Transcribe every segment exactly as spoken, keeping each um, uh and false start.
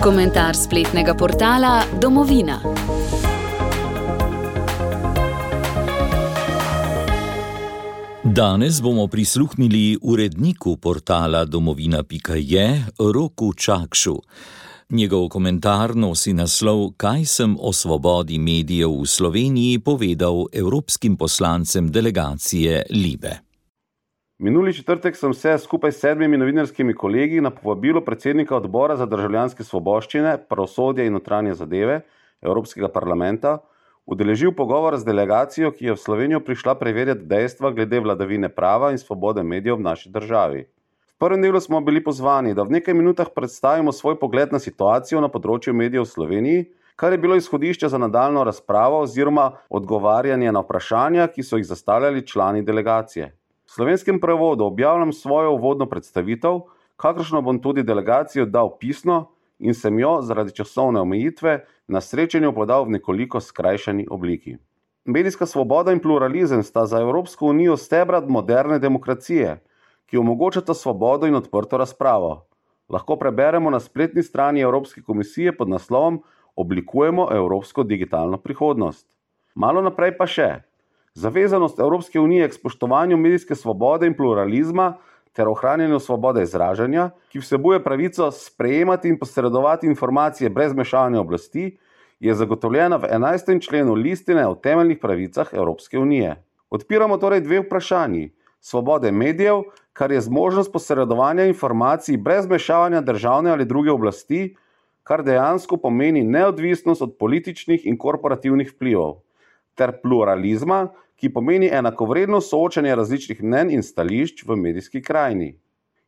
Komentar spletnega portala Domovina. Danes bomo prisluhnili uredniku portala domovina pika je, Roku Čakšu. Njegov komentar nosi naslov Kaj sem o svobodi medijev v Sloveniji povedal evropskim poslancem delegacije Libe. Minuli četrtek sem se skupaj s sedmimi novinarskimi kolegi na povabilo predsednika odbora za državljanske svoboščine, pravosodje in notranje zadeve Evropskega parlamenta udeležil pogovor z delegacijo, ki je v Slovenijo prišla preverjati dejstva glede vladavine prava in svobode medijev v naši državi. V prvem delu smo bili pozvani, da v nekaj minutah predstavimo svoj pogled na situacijo na področju medijev v Sloveniji, kar je bilo izhodišče za nadaljnjo razpravo oziroma odgovarjanje na vprašanja, ki so jih zastavljali člani delegacije. V slovenskem prevodu objavljam svojo uvodno predstavitev, kakršno bom tudi delegacijo dal pisno in sem jo zaradi časovne omejitve na srečanju podal v nekoliko skrajšani obliki. Medijska svoboda in pluralizem sta za Evropsko unijo stebra moderne demokracije, ki omogočata svobodo in odprto razpravo. Lahko preberemo na spletni strani Evropske komisije pod naslovom Oblikujemo evropsko digitalno prihodnost. Malo naprej pa še. Zavezanost Evropske unije k spoštovanju medijske svobode in pluralizma ter ohranjanju svobode izražanja, ki vsebuje pravico sprejemati in posredovati informacije brez vmešavanja oblasti, je zagotovljena v enajstem členu listine o temeljnih pravicah Evropske unije. Odpiramo torej dve vprašanji. Svobode medijev, kar je zmožnost posredovanja informacij brez vmešavanja državne ali druge oblasti, kar dejansko pomeni neodvisnost od političnih in korporativnih vplivov, ter pluralizma, ki pomeni enakovredno soočanje različnih mnenj in stališč v medijski krajini.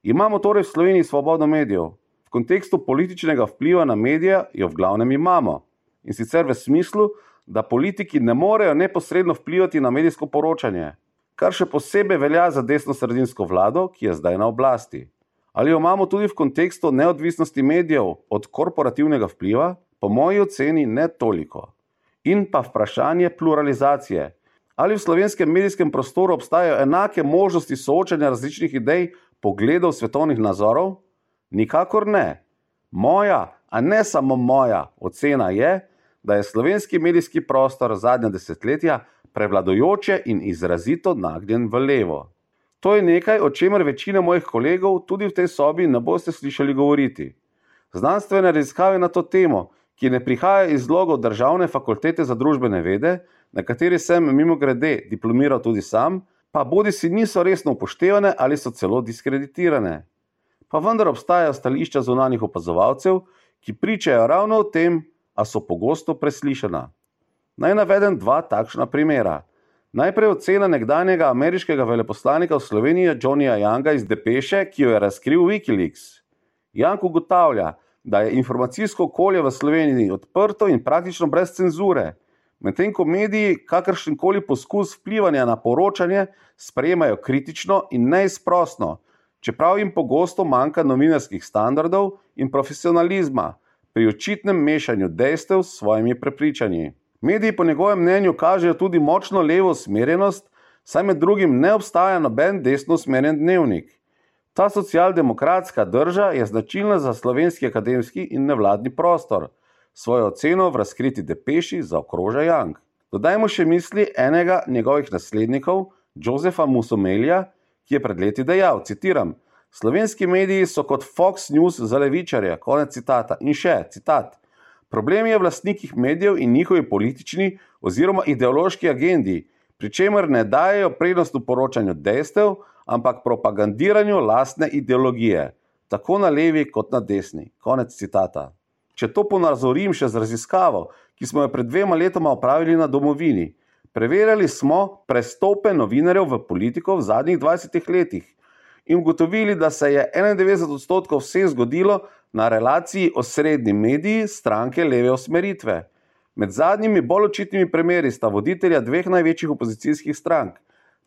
Imamo torej v Sloveniji svobodo medijev. V kontekstu političnega vpliva na medije jo v glavnem imamo. In sicer v smislu, da politiki ne morejo neposredno vplivati na medijsko poročanje, kar še posebej velja za desnosredinsko vlado, ki je zdaj na oblasti. Ali jo imamo tudi v kontekstu neodvisnosti medijev od korporativnega vpliva? Po moji oceni ne toliko. In pa vprašanje pluralizacije. Ali v slovenskem medijskem prostoru obstajajo enake možnosti soočanja različnih idej, pogledov, svetovnih nazorov? Nikakor ne. Moja, a ne samo moja, ocena je, da je slovenski medijski prostor zadnja desetletja prevladujoče in izrazito nagnjen v levo. To je nekaj, o čemer večina mojih kolegov tudi v tej sobi ne boste slišali govoriti. Znanstvene raziskave na to temo, ki ne prihaja iz logov Državne fakultete za družbene vede, na kateri sem mimogrede diplomiral tudi sam, pa bodisi niso resno upoštevane ali so celo diskreditirane. Pa vendar obstajajo stališča zunanjih opazovalcev, ki pričajo ravno o tem, a so pogosto preslišana. Naj navedem dva takšna primera. Najprej ocena nekdanjega ameriškega veleposlanika v Sloveniji Johnnyja Younga iz Depeše, ki jo je razkril Wikileaks. Young ugotavlja, da je informacijsko okolje v Sloveniji odprto in praktično brez cenzure, medtem ko mediji kakršenkoli poskus vplivanja na poročanje sprejemajo kritično in neizprosno, čeprav jim pogosto manjka novinarskih standardov in profesionalizma pri očitnem mešanju dejstev s svojimi prepričanji. Mediji po njegovem mnenju kažejo tudi močno levo usmerjenost, saj med drugim ne obstaja noben desno usmerjen dnevnik. Ta socialdemokratska drža je značilna za slovenski akademski in nevladni prostor. Svojo oceno v razkriti Depeši zaokroža Young. Dodajmo še misli enega njegovih naslednikov, Josefa Musomelija, ki je pred leti dejal, citiram, slovenski mediji so kot Fox News za levičarje, konec citata. In še, citat, problem je v lastnikih medijev in njihovi politični oziroma ideološki agendi, pri čemer ne dajejo prednost v poročanju dejstev, ampak propagandiranju lastne ideologije, tako na levi kot na desni. Konec citata. Če to ponazorim še z raziskavo, ki smo jo pred dvema letoma opravili na Domovini, preverjali smo prestope novinarjev v politiko v zadnjih dvajsetih letih in ugotovili, da se je enaindevetdeset odstotkov vseh zgodilo na relaciji osrednji mediji stranke leve usmeritve. Med zadnjimi bolj očitnimi primeri sta voditelja dveh največjih opozicijskih strank,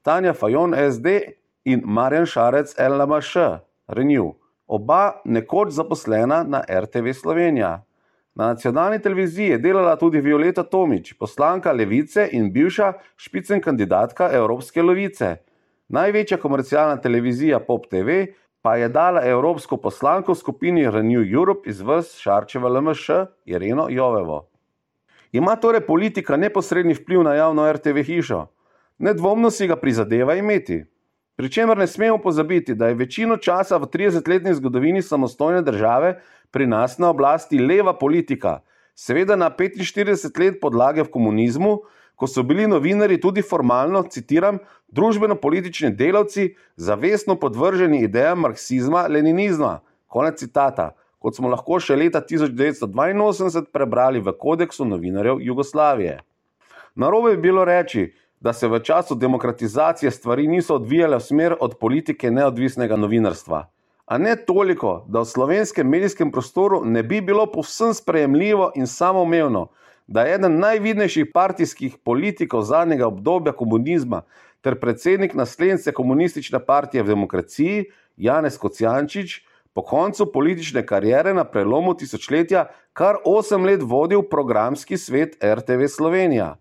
Tanja Fajon S D in Marjan Šarec L M Š, Renew. Oba nekoč zaposlena na R T V Slovenija. Na nacionalni televiziji je delala tudi Violeta Tomić, poslanka Levice in bivša špicen kandidatka Evropske levice. Največja komercialna televizija Pop T V pa je dala evropsko poslanko v skupini Renew Europe iz vrst Šarčeve L M Š Ireno Jovevo. Ima torej politika neposredni vpliv na javno R T V hišo? Nedvomno si ga prizadeva imeti. Pričemer ne smemo pozabiti, da je večino časa v tridesetletni zgodovini samostojne države pri nas na oblasti leva politika, seveda na petinštirideset let podlage v komunizmu, ko so bili novinarji tudi formalno, citiram, družbeno-politični delavci, zavestno podvrženi idejam marksizma, leninizma. Konec citata, kot smo lahko še leta tisoč devetsto dvainosemdeset prebrali v kodeksu novinarjev Jugoslavije. Narobe bi bilo reči, da se v času demokratizacije stvari niso odvijale v smer od politike neodvisnega novinarstva. A ne toliko, da v slovenskem medijskem prostoru ne bi bilo povsem sprejemljivo in samoumevno, da je eden najvidnejših partijskih politikov zadnjega obdobja komunizma ter predsednik naslednice komunistične partije v demokraciji, Janez Kocjančič, po koncu politične kariere na prelomu tisočletja kar osem let vodil programski svet R T V Slovenija.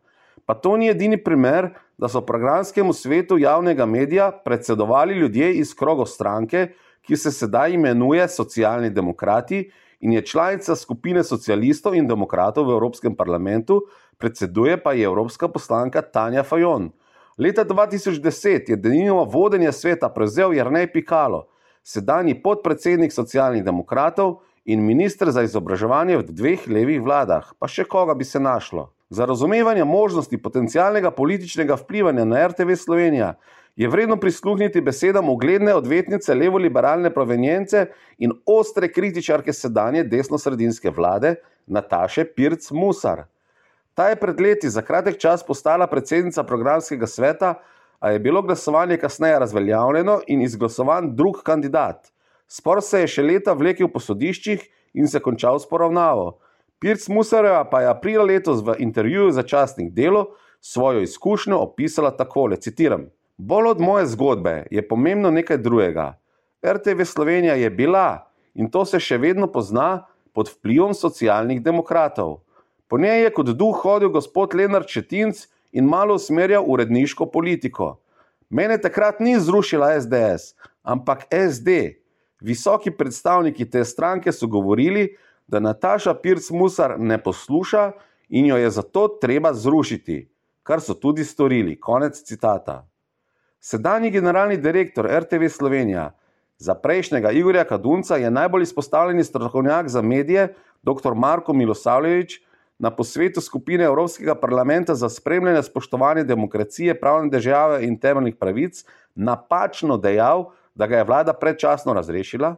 Pa to ni edini primer, da so programskemu svetu javnega medija predsedovali ljudje iz krogov stranke, ki se sedaj imenuje Socialni demokrati in je članica skupine socialistov in demokratov v Evropskem parlamentu, predseduje pa je evropska poslanka Tanja Fajon. Leta dva tisoč deset je denimo vodenje sveta prevzel Jernej Pikalo, sedanji podpredsednik Socialnih demokratov in minister za izobraževanje v dveh levih vladah, pa še koga bi se našlo. Za razumevanje možnosti potencialnega političnega vplivanja na R T V Slovenija je vredno prisluhniti besedam ugledne odvetnice levoliberalne provenience in ostre kritičarke sedanje desnosredinske vlade Nataše Pirc Musar. Ta je pred leti za kratek čas postala predsednica programskega sveta, a je bilo glasovanje kasneje razveljavljeno in izglasovan drug kandidat. Spor se je še leta vlekel po sodiščih in se končal s poravnavo. Pirc Musarjeva pa je aprila letos v intervjuju za časnik Delo svojo izkušnjo opisala takole, citiram: "Bolj od moje zgodbe je pomembno nekaj drugega. R T V Slovenija je bila, in to se še vedno pozna, pod vplivom Socialnih demokratov. Po njej je kot duh hodil gospod Lenart Šetinc in malo usmerjal uredniško politiko. Mene takrat ni zrušila S D S, ampak S D. Visoki predstavniki te stranke so govorili, da Nataša Pirc Musar ne posluša in jo je zato treba zrušiti, kar so tudi storili." Konec citata. Sedanji generalni direktor R T V Slovenija, za prejšnjega Igorja Kadunca je najbolj izpostavljeni strokovnjak za medije dr. Marko Milosavljević na posvetu skupine Evropskega parlamenta za spremljanje spoštovanja demokracije, pravne države in temeljnih pravic napačno dejal, da ga je vlada predčasno razrešila.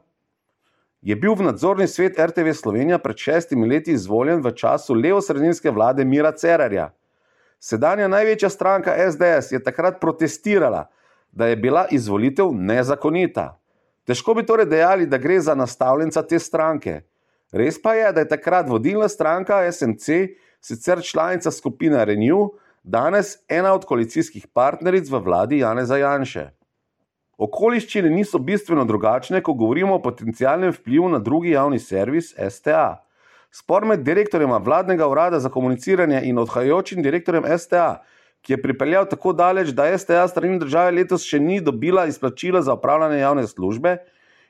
Je bil v nadzorni svet R T V Slovenija pred šestimi leti izvoljen v času levosredinske vlade Mira Cerarja. Sedanja največja stranka S D S je takrat protestirala, da je bila izvolitev nezakonita. Težko bi torej dejali, da gre za nastavljenca te stranke. Res pa je, da je takrat vodilna stranka S M C, sicer članica skupine Renew, danes ena od koalicijskih partneric v vladi Janeza Janše. Okoliščine niso bistveno drugačne, ko govorimo o potencialnem vplivu na drugi javni servis S T A. Spor med direktorjema vladnega urada za komuniciranje in odhajajočim direktorjem S T A, ki je pripeljal tako daleč, da S T A strani države letos še ni dobila izplačila za opravljanje javne službe,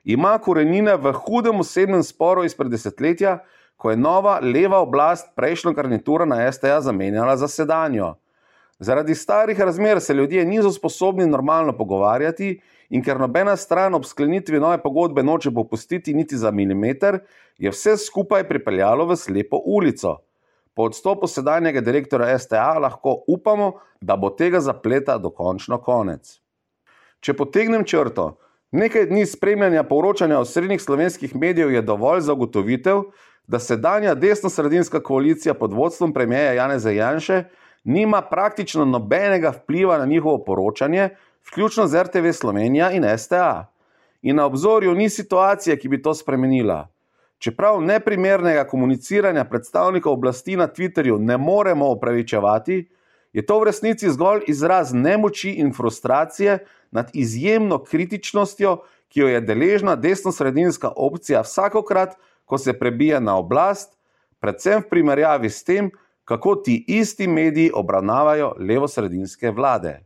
ima korenine v hudem osebnem sporu izpred desetletja, ko je nova leva oblast prejšnjo garnituro na S T A zamenjala za sedanjo. Zaradi starih razmer se ljudje niso sposobni normalno pogovarjati in ker nobena stran ob sklenitvi nove pogodbe noče popustiti niti za milimeter, je vse skupaj pripeljalo v slepo ulico. Po odstopu sedanjega direktorja S T A lahko upamo, da bo tega zapleta dokončno konec. Če potegnem črto, nekaj dni spremljanja poročanja osrednjih slovenskih medijev je dovolj za ugotovitev, da sedanja desnosredinska koalicija pod vodstvom premierja Janeza Janše nima praktično nobenega vpliva na njihovo poročanje, vključno z R T V Slovenija in S T A. In na obzorju ni situacije, ki bi to spremenila. Čeprav neprimernega komuniciranja predstavnikov oblasti na Twitterju ne moremo opravičevati, je to v resnici zgolj izraz nemoči in frustracije nad izjemno kritičnostjo, ki jo je deležna desnosredinska opcija vsakokrat, ko se prebija na oblast, predvsem v primerjavi s tem, kako ti isti mediji obravnavajo levosredinske vlade.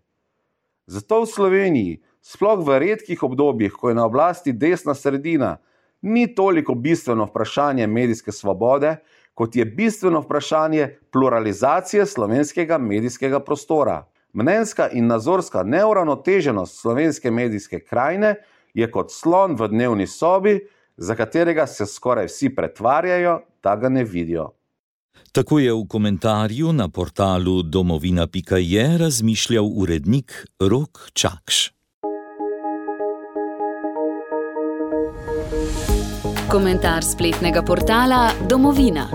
Zato v Sloveniji sploh v redkih obdobjih, ko je na oblasti desna sredina, ni toliko bistveno vprašanje medijske svobode, kot je bistveno vprašanje pluralizacije slovenskega medijskega prostora. Mnenjska in nazorska neuravnoteženost slovenske medijske krajine je kot slon v dnevni sobi, za katerega se skoraj vsi pretvarjajo, da ga ne vidijo. Tako je v komentarju na portalu domovina pika je razmišljal urednik Rok Čakš. Komentar spletnega portala Domovina.